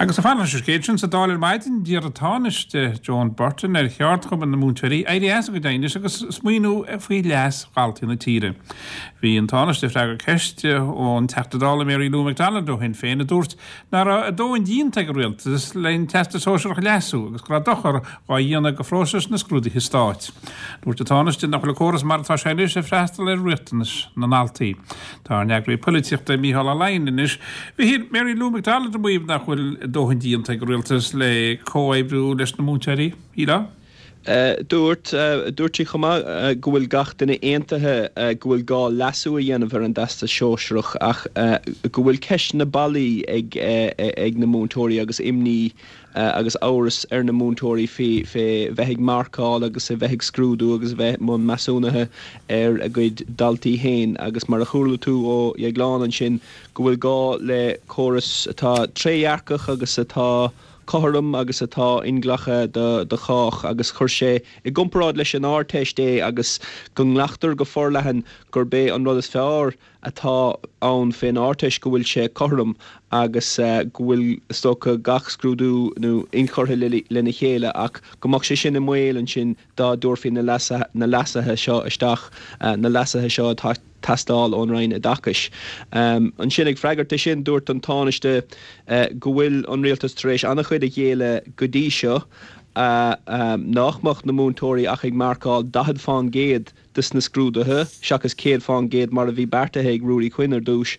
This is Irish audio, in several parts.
Agus ag fanacht leis an scéal sin sa Dáil ar maidin, d'iarr an Tánaiste Joan Burton ar cheardchumainn na múinteoirí éirí as a gcuid aighnis agus smaoineamh faoi leas dhaltaí na tíre. Bhí an Tánaiste ag freagairt ceiste ón Teachta Dála Mary Lou McDonald ó Shinn Féin a dúirt nach raibh a dóthain déanta ag an Rialtas len Teastas Sóisearach a leasú agus go raibh dochar dhá dhéanamh do phróiseas na scrúduithe stáit. Dúirt an Tánaiste nach bhfuil an córas mar atá sé anois ag freastal ar riachtanais na ndaltaí. Tá ár n-eagraí poilitíochta Mícheál Ó Laighin anois. Mhichíl, Mary Lou McDonald ag maíomh nach bhfuil a dóthain déanta ag an Rialtas le comhoibriú leis na múinteoirí. Shílfeá? Dúirt. Dúirt sí chomh maith go bhfuil gach duine aontaithe go bhfuil gá leasú a dhéanamh ar an dTeastas Sóisearach ach go bhfuil ceisteanna bailí ag ag na múinteoirí agus imní agus amhras ar na múinteoirí faoi fé bheith ag marcáil agus a bheith ag scrúdú agus a bheith i mbun measúnaithe ar a gcuid daltaí féin agus mar a chuala tú ó Dheaglán ansin go bhfuil gá le córas atá trédhearcach agus atá cothrom agus atá inghlactha do chách agus chuir sé i gcomparáid leis an Ardteist é agus go nglactar go forleathan gurb é an rud is fearr atá ann fén Ardteist go bhfuil sé cothrom agus go bhfuil is dócha gach scrúdú nó inchurtha lena chéile ach go mbeadh sé sin i mbaol ansin dá dtabharfaí na leasuithe seo isteach, na leasuithe seo atá ag teastáil ón Roinn Oideachais. Ansin, ag freagairt de sin, dúirt an Tánaiste go bhfuil an Rialtas tar éis an-chuid a ghéilleadh go dtí seo, nach mbeadh na múinteoirí ach ag marcáil 40 fán gcéad des na scrúduithe, seachas 100 fán gcéad mar a bhí beartaithe ag Ruairí Quinn ar dtús,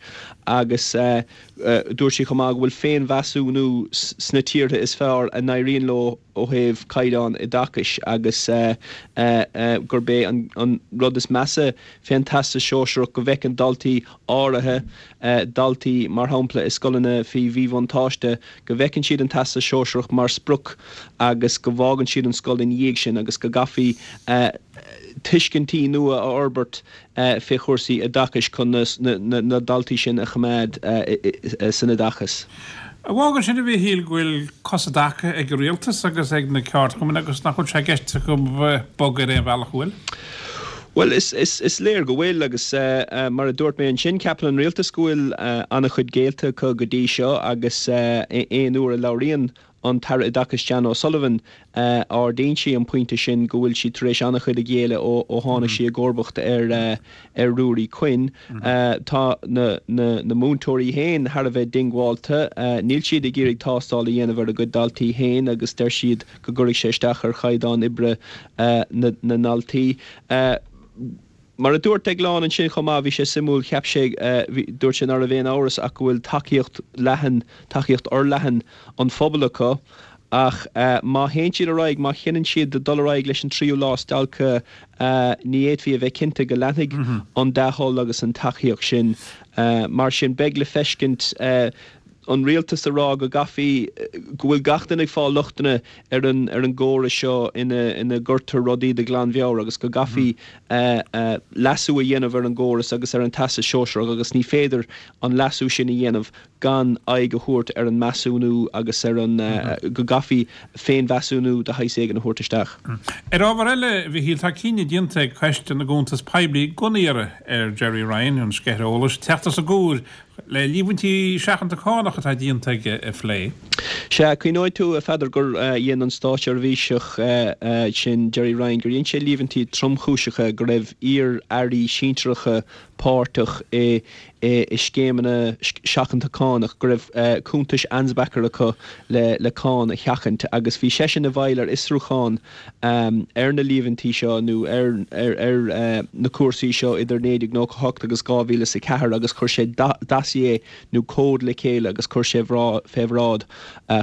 agus dúirt sí chomh maith go bhfuil féinmheasúnú sna tíortha is fearr a n-éiríonn leo ó thaobh caighdeán oideachais agus gurb é an rud is measa fén Teastas Sóisearach go bhfeiceann daltaí áirithe, daltaí mar shampla i scoileanna faoi mhíbhuntáiste, go bhfeiceann siad an Teastas Sóisearach mar sprioc agus go bhfágann siad an scoil ina dhiaidh sin agus go gcaithfí tuiscintí nua a fhorbairt fé chúrsaí oideachais chun na daltaí sin a choimeád san oideachas. An bhfágann sin, a Mhichíl, go bhfuil cos i dtaca ag an rialtas agus ag na ceardchumainn agus nach bhfuil sé i gceist acu bogadh ar aon bhealach, an bhfuil? Bhuel, is léir go bhfuil agus mar a dúirt mé ansin, ceapann an rialtas go bhfuil an-chuid géillte acu go dtí seo agus aon uair a labhraíonn an tAire Oideachais Jan O'Sullivan, ardaíonn sí an pointe sin go bhfuil sí tar éis an-chuid a ghéilleadh ó tháinig sí i gcomharbacht ar ar Ruairí Quinn. Tá na na múinteoirí féin thar a bheith diongbháilte. Níl siad ag iarraidh tástáil a dhéanamh ar a gcuid daltaí féin agus deir siad go gcuirfidh sé isteach ar chaighdeán oibre na ndaltaí. Mar a dúirt Deaglán ansin chomh maith, bhí sé suimiúil, cheap sé, bhí, dúirt sé ná raibh aon amhras ach go bhfuil tacaíocht leathan, tacaíocht fhorleathan an phobail acu ach má théann siad ar aghaidh, má chinneann siad dul ar aghaidh leis an tríú lá stailce, ní fhéadfaí a bheith cinnte go leanfaidh an dea-thoil agus an tacaíocht sin. Mar sin, beidh le feiscint. an rialtas a rá go gcaithfí, go bhfuil gach duine ag fáil lochtanna ar an ar an gcóras seo ina ina gcuirtear rudaí de ghlanmheabhair agus go gcaithfí leasú a dhéanamh ar an gcóras agus ar an Teastas Sóisearach agus ní féidir an leasú sin a dhéanamh gan aghaidh a thabhairt ar an measúnú agus ar an go gcaithfí féinmheasúnú de shaghas éigin a thabhairt isteach. Ar ábhar eile, a Mhichíl, tá cinneadh déanta ag Coiste na gCuntas Poiblí gan iarraidh ar Gerry Ryan, an sceithire eolais, teacht os a gcomhair le líomhaintí seachanta cánach atá déanta aige a phlé. Sea, cuimhneoidh tú, a Pheadair, gur dhein an státseirbhíseach sin, Gerry Ryan, gur dhein sé líomhaintí tromchúiseacha go raibh iar-airí sinsearacha páirteach i scéimeanna seachanta cánach, go raibh cuntais Ansbacher acu le cáin a sheachaint agus bhí seisean i bhfeighil ar fhiosrúchán ar na líomhaintí seo nó ar na cúrsaí seo idir 1998 agus 2004 agus chuir sé dossier nó comhad le chéile agus chuir sé fé bhráid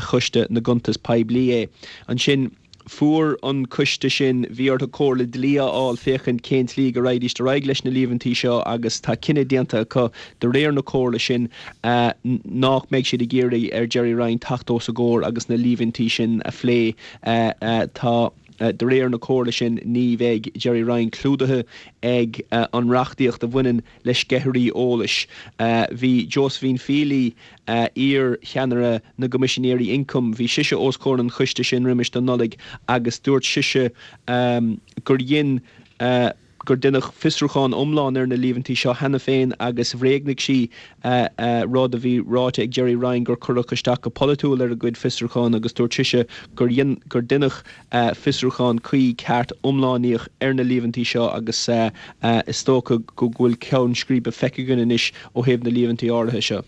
Choiste na gCuntas Poiblí é. Ansin fuair an coiste sin, bhí orthu comhairle dlí a fháil féachaint cén tslí go raghaidís ar aghaidh leis na líomhaintí seo agus tá cinneadh déanta acu de réir na comhairle sin nách mbeidh siad ag iarraidh ar Gerry Ryan teacht os a gcomhair agus na líomhaintí sin a phlé. Tá, de réir na comhairle sin, ní bheidh Gerry Ryan clúdaithe ag an reachtaíocht a bhaineann le sceithirí eolais. Bhí Josephine Feeley, iar-cheannaire na gCoimisinéirí Ioncaim, bhí sise os comhair an choiste sin roimis an Nollaig agus dúirt sise gur dhein. gur deineadh fiosrúchán iomlán ar na líomhaintí seo cheana féin agus bhréagnaigh sí rud a bhí ráite ag Gerry Ryan gur cuireadh isteach go polaitiúil ar a gcuid fiosrúchán agus dúirt sise gur dhein gur deineadh fiosrúchán cuí ceart iomlánaíoch ar na líomhaintí seo agus is dócha go bhfuil ceann scríbe feicthe againn anois ó thaobh na líomhaintí áirithe seo.